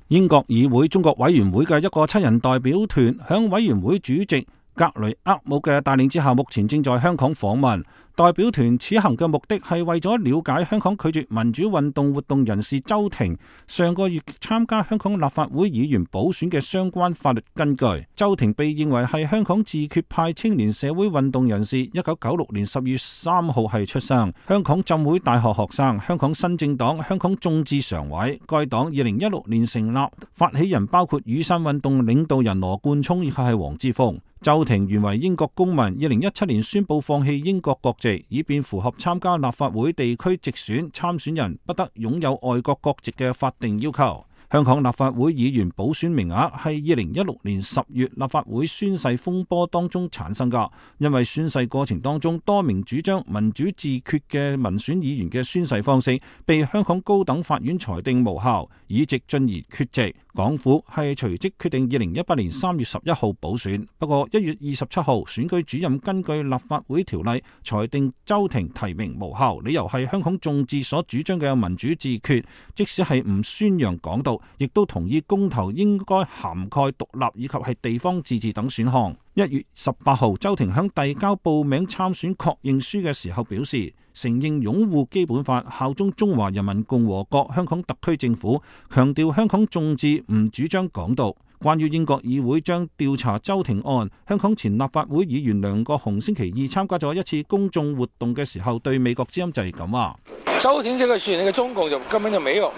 英國議會中國委員會嘅一個7人代表團，響委員會主席格雷厄姆嘅帶領之下，目前正在香港訪問。代表團此行嘅目的係為咗了解香港拒絕民主運動活動人士周庭上個月參加香港立法會議員補選嘅相關法律根據。周庭被認為係香港自決派青年社會運動人士，1996年10月3號係出生，香港浸會大學學生，香港新政黨香港眾志常委。該黨2016年成立，發起人包括雨傘運動領導人羅冠聰以及係黃之鋒。周庭原為英國公民，2017年宣布放棄英國國籍，以便符合參加立法會地區直選參選人不得擁有外國國籍嘅法定要求。香港立法會議員補選名額係2016年10月立法會宣誓風波當中產生㗎，因為宣誓過程當中多名主張民主自決嘅民選議員嘅宣誓方式被香港高等法院裁定無效，議席進而缺席。港府係隨即決定2018年3月11號補選，不過1月27號選舉主任根據立法會條例裁定周庭提名無效，理由係香港眾志所主張嘅民主自決，即使係唔宣揚港獨，亦都同意公投應該涵蓋獨立以及係地方自治等選項。1月18號，周庭響遞交報名參選確認書嘅時候表示，承認擁護基本法、效忠中華人民共和國香港特區政府，強調香港眾志唔主張港獨。關於英國議會將調查周庭案，香港前立法會議員梁國雄星期二參加咗一次公眾活動嘅時候，對美國之音就係咁話。周庭這個事，那個中共就根本就沒有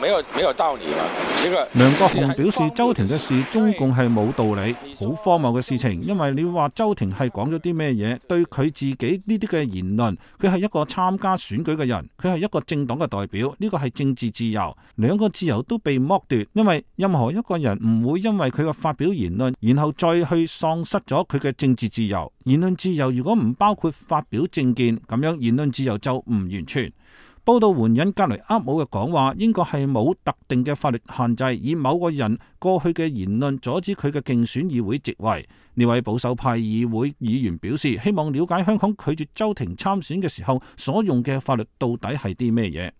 道理嘛。梁國雄表示，周庭嘅事中共係冇道理，好荒謬嘅事情。因為你話周庭係講咗啲咩嘢？對佢自己呢啲嘅言論，佢係一個參加選舉嘅人，佢係一個政黨嘅代表，呢個係政治自由，兩個自由都被剝奪。因為任何一個人唔會因為佢嘅發表言論，然後再去喪失咗佢嘅政治自由。言論自由如果唔包括發表政見，咁樣言論自由就唔完全。報道援引格雷厄姆嘅講話，英國係冇特定嘅法律限制，以某個人過去嘅言論阻止佢嘅競選議會席位。呢位保守派議會議員表示，希望了解香港拒絕周庭參選嘅時候所用嘅法律到底係啲咩嘢。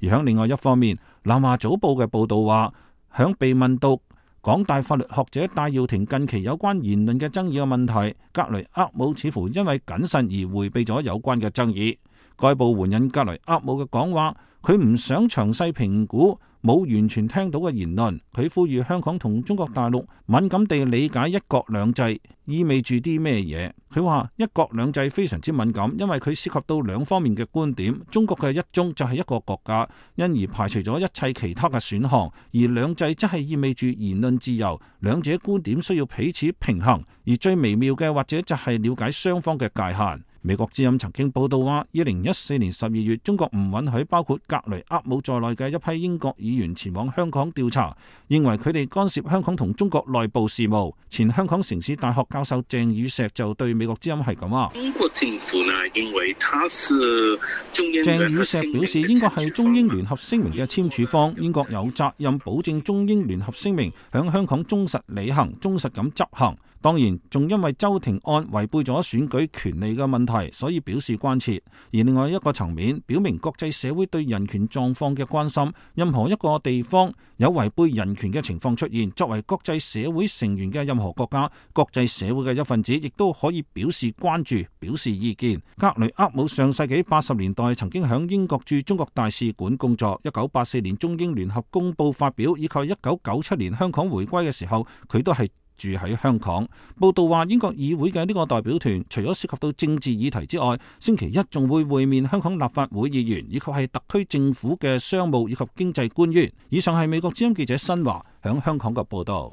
而響另外一方面，南華早報嘅報道話，響被問到港大法律學者戴耀廷近期有關言論嘅爭議嘅問題，格雷厄姆似乎因為謹慎而迴避咗有關嘅爭議。該報援引格雷厄姆嘅講話，佢唔想詳細評估冇完全聽到嘅言論。佢呼籲香港同中國大陸敏感地理解一國兩制意味住啲咩嘢。佢話一國兩制非常之敏感，因為佢涉及到兩方面嘅觀點。中國嘅一中就係一個國家，因而排除咗一切其他嘅選項，而兩制則係意味住言論自由。兩者觀點需要彼此平衡，而最微妙嘅或者就係了解雙方嘅界限。美國之音曾經報道話，2014年12月，中國唔允許包括格雷厄姆在內嘅一批英國議員前往香港調查，認為佢哋干涉香港同中國內部事務。前香港城市大學教授鄭宇碩就對美國之音係咁話：中國政府呢，因為他是中英聯合聲明。鄭宇碩表示，英國係中英聯合聲明嘅簽署方，英國有責任保證中英聯合聲明響香港忠實履行、忠實咁執行。當然，仲因為周庭案違背咗選舉權利嘅問題，所以表示關切。而另外一個層面，表明國際社會對人權狀況嘅關心。任何一個地方有違背人權嘅情況出現，作為國際社會成員嘅任何國家、國際社會嘅一份子，亦都可以表示關注、表示意見。格雷厄姆上世紀80年代曾經響英國駐中國大使館工作。1984年中英聯合公報發表，以及1997年香港回歸嘅時候，佢都係住喺香港。報道話，英國議會嘅呢個代表團除咗涉及到政治議題之外，星期一仲會會面香港立法會議員，以及係特區政府嘅商務以及經濟官員。以上係美國之音記者新華響香港嘅報道。